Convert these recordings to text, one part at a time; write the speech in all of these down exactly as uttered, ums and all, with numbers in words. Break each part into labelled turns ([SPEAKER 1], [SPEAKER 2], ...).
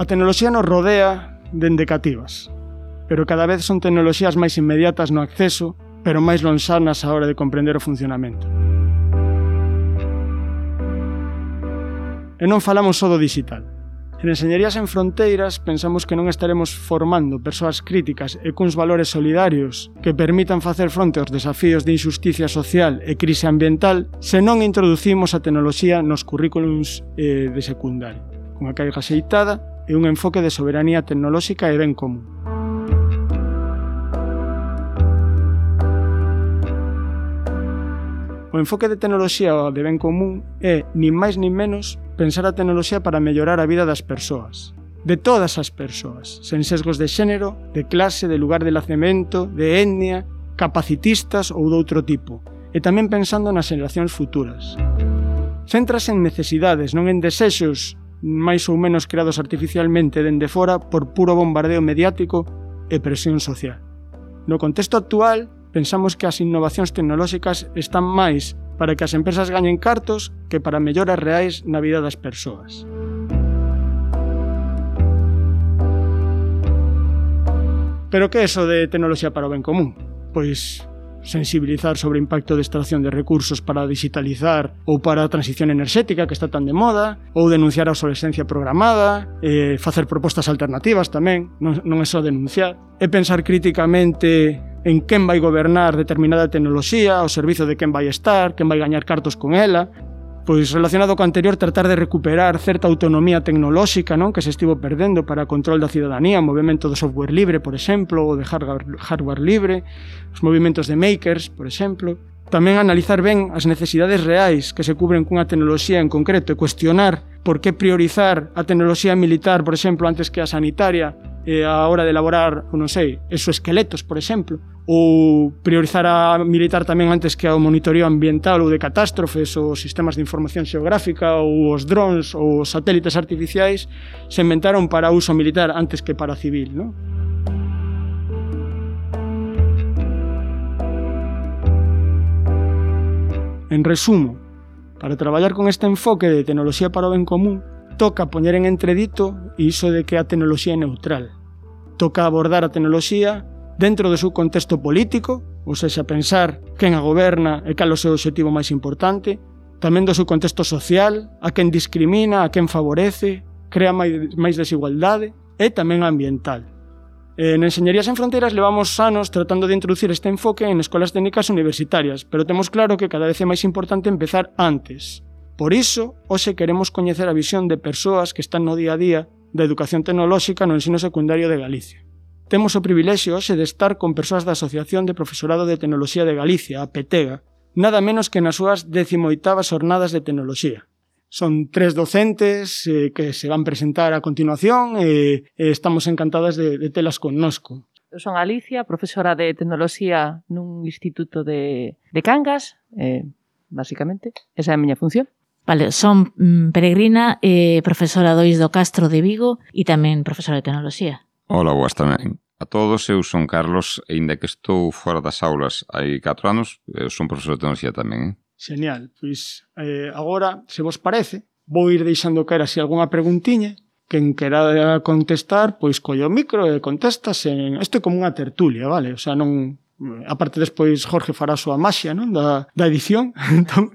[SPEAKER 1] tecnoloxía nos rodea dende cativas, pero cada vez son tecnoloxías máis inmediatas no acceso, pero máis lonxanas á hora de comprender o funcionamento. E non falamos só do digital. En Enxeñerías en Fronteiras pensamos que non estaremos formando persoas críticas e cuns valores solidarios que permitan facer fronte aos desafíos de injusticia social e crise ambiental se non introducimos a tecnoloxía nos currículums eh, de secundario, cunha carga xeitada e un enfoque de soberanía tecnolóxica e ben común. O enfoque de tecnoloxía ou de ben común é, nin máis nin menos, pensar a tecnoloxía para mellorar a vida das persoas. De todas as persoas, sen sesgos de xénero, de clase, de lugar de nacemento, de etnia, capacitistas ou doutro tipo. E tamén pensando nas xeracións futuras. Centras en necesidades, non en desexos máis ou menos creados artificialmente dende fora por puro bombardeo mediático e presión social. No contexto actual, pensamos que as innovacións tecnolóxicas están máis para que as empresas gañen cartos que para melloras reais na vida das persoas. Pero que é iso de tecnoloxía para o ben común? Pois sensibilizar sobre o impacto de extracción de recursos para digitalizar ou para a transición enerxética que está tan de moda, ou denunciar a obsolescencia programada, eh, facer propostas alternativas tamén, non, non é só denunciar, e pensar críticamente en quen vai gobernar determinada tecnoloxía, ao servizo de quen vai estar, quen vai gañar cartos con ela. Pois relacionado co anterior, tratar de recuperar certa autonomía tecnolóxica, non, que se estivo perdendo para control da cidadanía, o movimento do software libre, por exemplo, ou de hardware, hardware libre, os movimentos de makers, por exemplo. Tamén analizar ben as necesidades reais que se cubren cunha tecnoloxía en concreto e cuestionar por que priorizar a tecnoloxía militar, por exemplo, antes que a sanitaria, eh, a hora de elaborar, non sei, exoesqueletos, por exemplo, ou priorizar a militar tamén antes que ao monitoreo ambiental ou de catástrofes, ou sistemas de información xeográfica, ou os drones, ou os satélites artificiais, se inventaron para uso militar antes que para civil, non? En resumo, para traballar con este enfoque de tecnoloxía para o ben común, toca poñer en entredito iso de que a tecnoloxía é neutral. Toca abordar a tecnoloxía dentro do seu contexto político, ou seja, pensar quen a goberna e cal o seu objetivo máis importante, tamén do seu contexto social, a quen discrimina, a quen favorece, crea máis, máis desigualdade, e tamén ambiental. En Enxeñerías en Fronteiras levamos anos tratando de introducir este enfoque en escolas técnicas universitarias, pero temos claro que cada vez é máis importante empezar antes. Por iso, hoxe queremos coñecer a visión de persoas que están no día a día da educación tecnolóxica no ensino secundario de Galicia. Temos o privilexio hoxe de estar con persoas da Asociación de Profesorado de Tecnoloxía de Galicia, a PETEGA, nada menos que nas súas décimo-oitavas xornadas de tecnoloxía. Son tres docentes eh, que se van presentar a continuación e eh, estamos encantadas de, de telas connosco.
[SPEAKER 2] Eu son Alicia, profesora de Tecnoloxía nun instituto de, de Cangas, eh, basicamente, esa é a miña función.
[SPEAKER 3] Vale, son mm, Peregrina, eh, profesora do I S do Castro de Vigo e tamén profesora de Tecnoloxía.
[SPEAKER 4] Hola, boas tamén. A todos, eu son Carlos, e inda que estou fora das aulas hai catro anos, eu son profesor de Tecnoloxía tamén, eh?
[SPEAKER 1] Genial, pois eh, agora, se vos parece, vou ir deixando caer así algunha preguntiña. Quen quera contestar, pois colle o micro e contestas en... Isto é como unha tertulia, vale? O sea, non... Aparte despois Jorge fará a súa maxia, non? Da, da edición, entón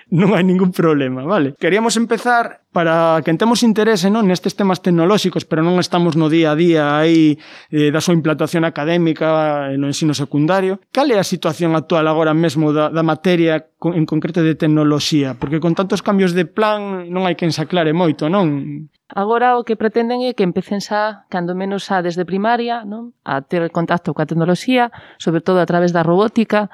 [SPEAKER 1] non hai ningún problema, vale? Queríamos empezar para que temos interese, non, nestes temas tecnolóxicos, pero non estamos no día a día aí eh, da súa implantación académica no ensino secundario. Cal é a situación actual agora mesmo da, da materia en concreto de tecnoloxía? Porque con tantos cambios de plan non hai quen se aclare moito, non?
[SPEAKER 2] Agora o que pretenden é que empecen xa, cando menos xa desde primaria, non, a ter contacto coa tecnoloxía, sobre todo a través da robótica,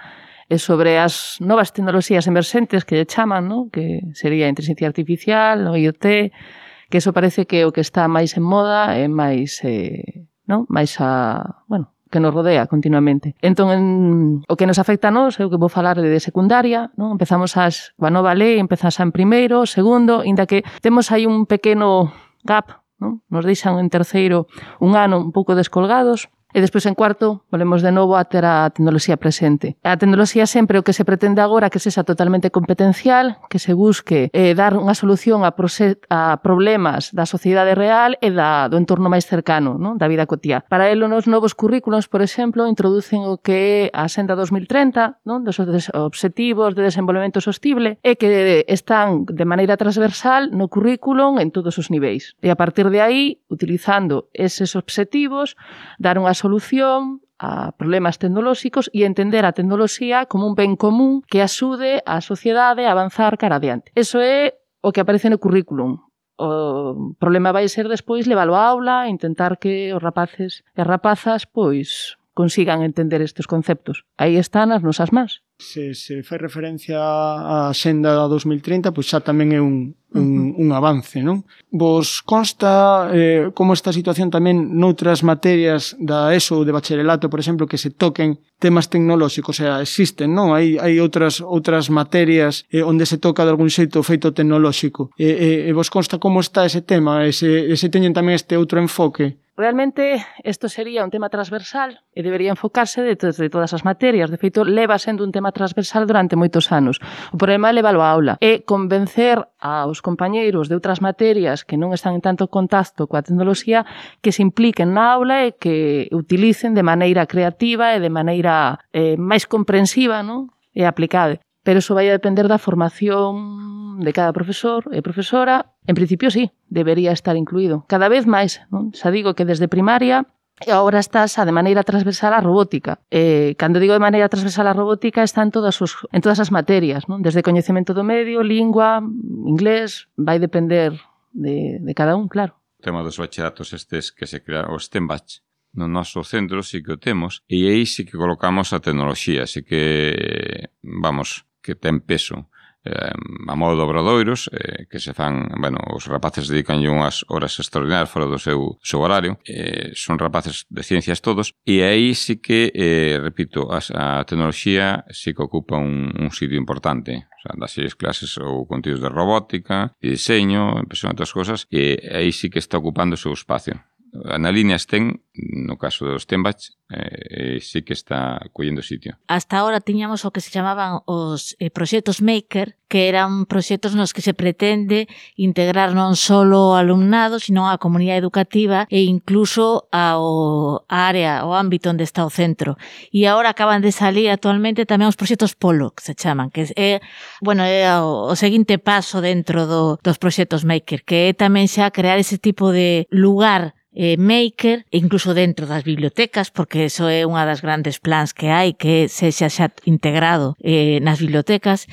[SPEAKER 2] e sobre as novas tecnoloxías emerxentes que lle chaman, non, que sería a inteligencia artificial, o I O T, que eso parece que é o que está máis en moda e máis, eh, non, máis a, bueno, que nos rodea continuamente. Entón, en, o que nos afecta a nós, é o que vou falar de secundaria, non? Empezamos as, coa nova lei, empezamos en primeiro, segundo, inda que temos aí un pequeno gap, non? Nos deixan en terceiro un ano un pouco descolgados, E despois, en cuarto, volvemos de novo a ter a tecnoloxía presente. A tecnoloxía sempre o que se pretende agora que sexa totalmente competencial, que se busque eh, dar unha solución a, a problemas da sociedade real e da, do entorno máis cercano, non? Da vida cotiá. Para elo, nos novos currículos, por exemplo, introducen o que é a Senda dos mil treinta, non? Dos obxectivos de desenvolvemento sostible, e que están de maneira transversal no currículum en todos os niveis. E a partir de aí, utilizando eses obxectivos, dar unha solución a problemas tecnolóxicos e entender a tecnoloxía como un ben común que axude a sociedade a avanzar cara adiante. Eso é o que aparece no currículum. O problema vai ser despois leválo á aula e intentar que os rapaces e rapazas pois consigan entender estes conceptos. Aí están as nosas mans.
[SPEAKER 1] Se se fai referencia á Xenda dos mil trinta, pois xa tamén é un, un, un avance, non? Vos consta eh, como esta situación tamén noutras materias da ESO ou de bacharelato, por exemplo, que se toquen temas tecnolóxicos, o sea, existen, non? Hai, hai outras outras materias eh, onde se toca de algún xeito o feito tecnolóxico. E, e, e vos consta como está ese tema? E se, e se teñen tamén este outro enfoque?
[SPEAKER 2] Realmente, isto sería un tema transversal e debería enfocarse de, de todas as materias. De feito, leva sendo un tema transversal durante moitos anos. O problema é leválo á aula e convencer aos compañeiros de outras materias que non están en tanto contacto coa tecnoloxía que se impliquen na aula e que utilicen de maneira creativa e de maneira eh, máis comprensiva, non? E aplicada. Pero iso vai a depender da formación de cada profesor e profesora. En principio, sí, debería estar incluído. Cada vez máis, non? Xa digo que desde primaria e agora está xa de maneira transversal a robótica. Eh, cando digo de maneira transversal a robótica, está en todas, os, en todas as materias, non? Desde coñecemento do medio, lingua, inglés, vai depender de, de cada un, claro.
[SPEAKER 4] O tema dos bachilleratos estes que se crearon, os STEMbach, no noso centro sí que o temos, e aí sí que colocamos a tecnoloxía, sí que, vamos, que ten peso. Eh, a modo de obradoiros, eh, que se fan, bueno, os rapaces dedican unhas horas extraordinarias fora do seu, seu horario, eh, son rapaces de ciencias todos, e aí sí que, eh, repito, a, a tecnoloxía sí que ocupa un, un sitio importante. O sea, das seis clases ou contidos de robótica, de diseño, impresión e outras cosas, e aí sí que está ocupando o seu espacio. Na línea STEM, no caso dos STEMbach, eh, sí que está collendo sitio.
[SPEAKER 3] Hasta ahora tiñamos o que se chamaban os eh, proxectos Maker, que eran proxectos nos que se pretende integrar non só o alumnado, sino a comunidade educativa e incluso ao a área, o ámbito onde está o centro. E agora acaban de salir actualmente tamén os proxectos Polo, que se chaman, que é, bueno, é o, o seguinte paso dentro do, dos proxectos Maker, que é tamén xa crear ese tipo de lugar eh, maker, incluso dentro das bibliotecas, porque eso é unha das grandes plans que hai, que sexa xa integrado eh, nas bibliotecas,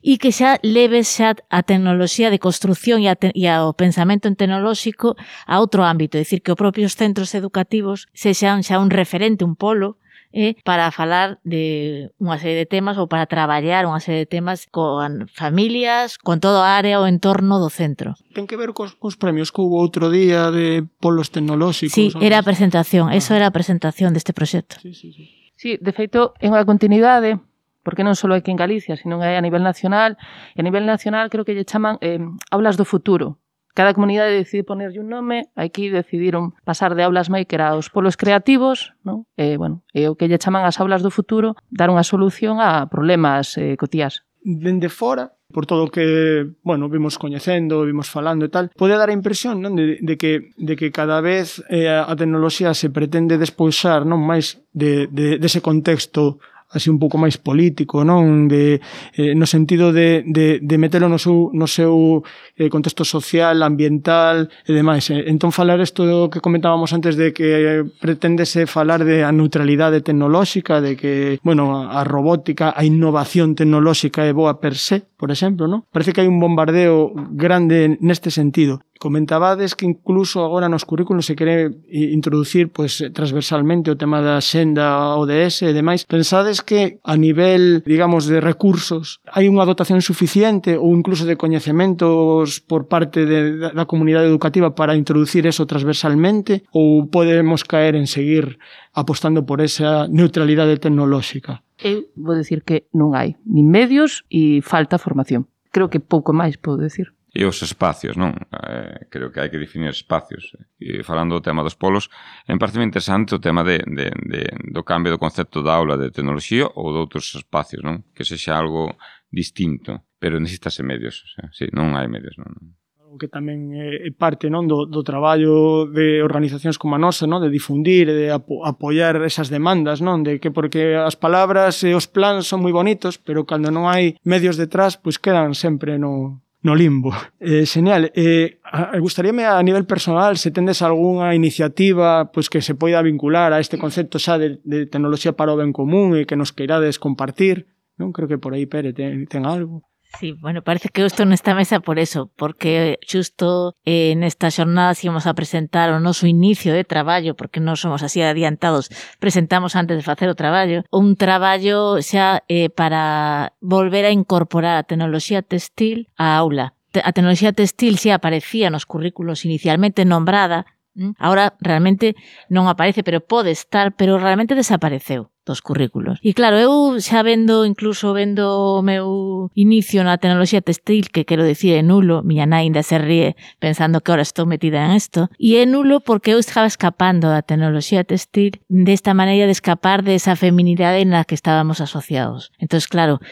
[SPEAKER 3] e que xa leve xa a tecnoloxía de construción e, a te, e ao pensamento tecnolóxico a outro ámbito, é dicir, que os propios centros educativos sexan xa un referente, un polo, eh, para falar de unha serie de temas ou para traballar unha serie de temas con familias, con toda a área ou entorno do centro.
[SPEAKER 1] Ten que ver cos, cos premios que hubo outro día de polos tecnolóxicos?
[SPEAKER 3] Sí, era a presentación, ah. eso era a presentación deste proxecto.
[SPEAKER 1] Sí, sí, sí.
[SPEAKER 2] Sí, de feito, é unha continuidade, porque non só aquí en Galicia, sino que a nivel nacional, e a nivel nacional creo que lle chaman eh, aulas do futuro. Cada comunidade decide ponerlle un nome, aquí decidiron pasar de aulas maker aos polos creativos, non? E, bueno, é o que lle chaman as aulas do futuro, dar unha solución a problemas eh, cotiás.
[SPEAKER 1] Dende fora, por todo o que, bueno, vimos coñecendo, vimos falando e tal, pode dar a impresión, non, de, de que de que cada vez eh, a tecnoloxía se pretende despoxar, non, máis de, de dese contexto así un pouco máis político, non, de eh, no sentido de, de, de metelo no seu, no seu eh, contexto social, ambiental e demais. Entón, falar isto do que comentábamos antes de que preténdese falar de a neutralidade tecnolóxica, de que, bueno, a robótica, a innovación tecnolóxica é boa per se, por exemplo, non? Parece que hai un bombardeo grande neste sentido. Comentabades que incluso agora nos currículos se quere introducir pues, transversalmente o tema da Xenda O D S e demais. Pensades que a nivel, digamos, de recursos hai unha dotación suficiente ou incluso de coñecementos por parte de, da comunidade educativa para introducir eso transversalmente, ou podemos caer en seguir apostando por esa neutralidade tecnolóxica?
[SPEAKER 2] Eu vou dicir que non hai nin medios e falta formación. Creo que pouco máis podo decir.
[SPEAKER 4] E os espacios, non? Eh, creo que hai que definir espacios. E falando do tema dos polos, é parece interesante o tema de, de, de, do cambio do concepto da aula de tecnoloxía ou de outros espacios, non? Que sexa algo distinto, pero necesitase medios, o sea, sí, non hai medios, non?
[SPEAKER 1] Que tamén é parte, non, do, do traballo de organizacións como a nosa, non, de difundir, de apo apoiar esas demandas, non, de que porque as palabras e os plans son moi bonitos, pero cando non hai medios detrás, pois quedan sempre no no limbo. Eh, genial. Eh, gustaríame a nivel personal se tendes algunha iniciativa pois que se poida vincular a este concepto xa de, de tecnoloxía para o ben común e que nos queirades compartir. Non creo que por aí Pere ten, ten algo.
[SPEAKER 3] Sí, bueno, parece que eu estou nesta mesa por eso, porque xusto eh, nesta xornada íamos a presentar o noso inicio de traballo, porque non somos así adiantados, presentamos antes de facer o traballo, un traballo xa eh, para volver a incorporar a tecnoloxía textil á aula. A tecnoloxía textil xa aparecía nos currículos inicialmente nombrada, ahora realmente non aparece, pero pode estar, pero realmente desapareceu dos currículos. E claro, eu xa vendo, incluso vendo o meu inicio na tecnoloxía textil, que quero dicir é nulo, miña nai ainda se ríe pensando que ahora estou metida en isto, e é nulo porque eu estaba escapando da tecnoloxía textil desta maneira de escapar de esa feminidade na que estábamos asociados. Entón, claro,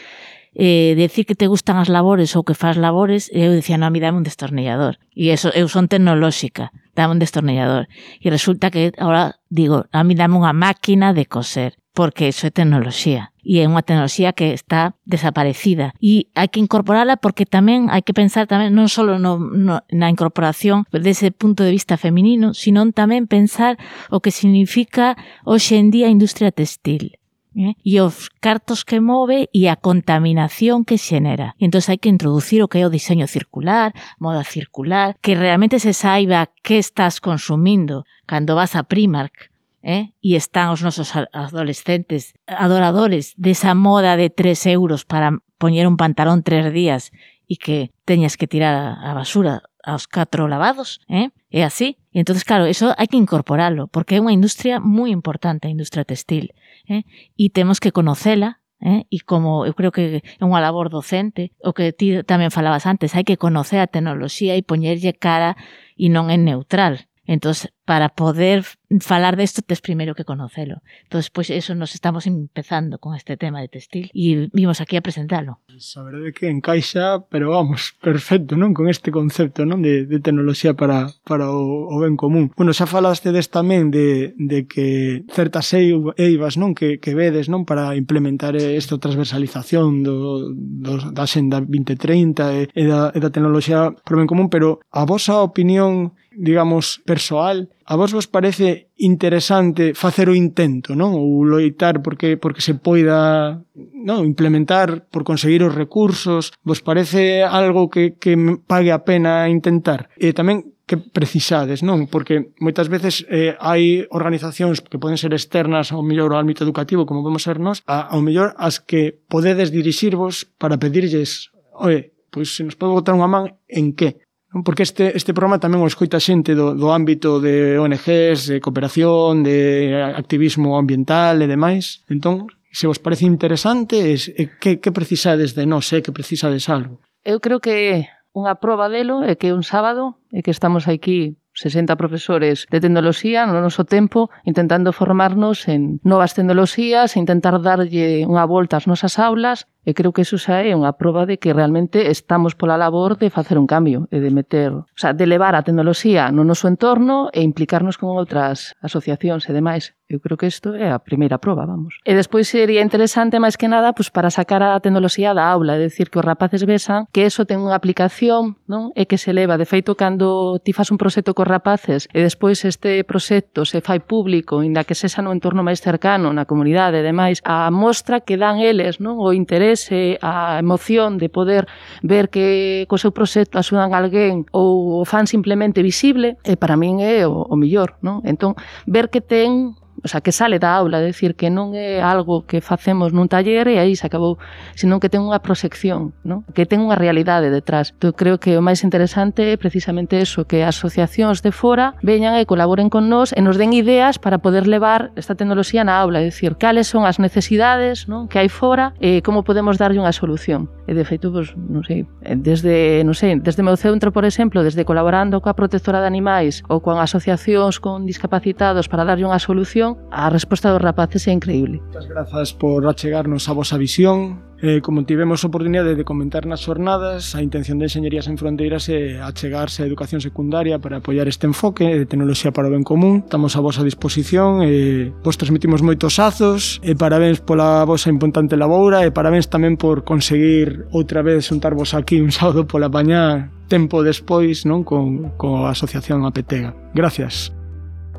[SPEAKER 3] eh, decir que te gustan as labores ou que faz labores, eu dicía, non, a mí dame un destornillador. E eso, eu son tecnolóxica, dame un destornillador. E resulta que ahora digo, a mí dame unha máquina de coser, porque eso é tecnoloxía. E é unha tecnoloxía que está desaparecida. E hai que incorporala porque tamén hai que pensar tamén non só no, no, na incorporación dese punto de vista feminino, sino tamén pensar o que significa hoxe en día a industria textil. Eh? E os cartos que move e a contaminación que xenera. E entón hai que introducir o que é o diseño circular, moda circular, que realmente se saiba que estás consumindo cando vas a Primark, eh? E están os nosos adolescentes adoradores desa moda de tres euros para poñer un pantalón tres días e que teñas que tirar a basura aos catro lavados, eh? É así. E entón, claro, eso hai que incorporalo, porque é unha industria moi importante, a industria textil, eh? E temos que conocela, eh? E como eu creo que é unha labor docente, o que ti tamén falabas antes, hai que conocer a tecnoloxía e poñerlle cara e non é neutral. Entón, para poder falar desto, tes primeiro que conocelo. Entón, pois, eso nos estamos empezando con este tema de textil e vimos aquí a presentalo.
[SPEAKER 1] A verdade que encaixa, pero vamos, perfecto, non? Con este concepto, non? De, de tecnoloxía para, para o, o ben común. Bueno, xa falaste des tamén de, de que certas eivas, non? Que, que vedes, non? Para implementar esta transversalización do, do, da Xenda vinte trinta e, e, da, e da tecnoloxía para o ben común, pero a vosa opinión, digamos, persoal, a vos vos parece interesante facer o intento, non? Ou loitar porque porque se poida, non, implementar por conseguir os recursos, vos parece algo que que pague a pena intentar? E tamén que precisades, non? Porque moitas veces eh, hai organizacións que poden ser externas ao mellor ao ámbito educativo, como podemos ser nós, a, ao mellor as que podedes dirixirvos para pedirlles, oye, pois se nos pode botar unha man en que? Porque este, este programa tamén o escoita xente do, do ámbito de O N Ges, de cooperación, de activismo ambiental e demais. Entón, se vos parece interesante, es, é, que, que precisades de nós, é, que precisades algo?
[SPEAKER 2] Eu creo que unha proba delo é que un sábado é que estamos aquí sesenta profesores de tecnoloxía no noso tempo intentando formarnos en novas tecnoloxías e intentar darlle unha volta ás nosas aulas. E creo que iso xa é unha proba de que realmente estamos pola labor de facer un cambio e de meter, o sea, de levar a tecnoloxía no noso entorno e implicarnos con outras asociacións e demais. Eu creo que isto é a primeira proba, vamos. E despois sería interesante, máis que nada, pues, para sacar a tecnoloxía da aula, é dicir, que os rapaces vexan que eso ten unha aplicación, non? E que se leva. De feito, cando ti fas un proxecto cos rapaces e despois este proxecto se fai público, inda que sexa no entorno máis cercano, na comunidade e demais, a mostra que dan eles, non? O interés, a emoción de poder ver que co seu proxecto axudan a alguén ou o fan simplemente visible, e para min é o, o millor, non? Entón, ver que ten, o sea, que sale da aula, é dicir, que non é algo que facemos nun taller e aí se acabou, senón que ten unha proxección, non? Que ten unha realidade detrás. Entón, creo que o máis interesante é precisamente eso, que as asociacións de fora veñan e colaboren con nós e nos den ideas para poder levar esta tecnoloxía na aula, é dicir, cales son as necesidades, non? Que hai fora e como podemos darlle unha solución. E de feito, pues, non sei, desde, non sei, desde meu centro, por exemplo, desde colaborando coa protectora de animais ou con asociacións con discapacitados para darlle unha solución, a resposta dos rapaces é increíble.
[SPEAKER 1] Moitas grazas por achegarnos a vosa visión. Eh, como tivemos a oportunidade de comentar nas xornadas, a intención de Enxeñería Sen Fronteiras é achegarse a educación secundaria para apoiar este enfoque de tecnoloxía para o ben común. Estamos a vosa disposición e vos transmitimos moitos azos e parabéns pola vosa importante laboura e parabéns tamén por conseguir outra vez xuntarvos aquí un sábado pola mañá tempo despois, non, con, con a Asociación Apetega. Gracias.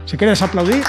[SPEAKER 1] Se queres aplaudir...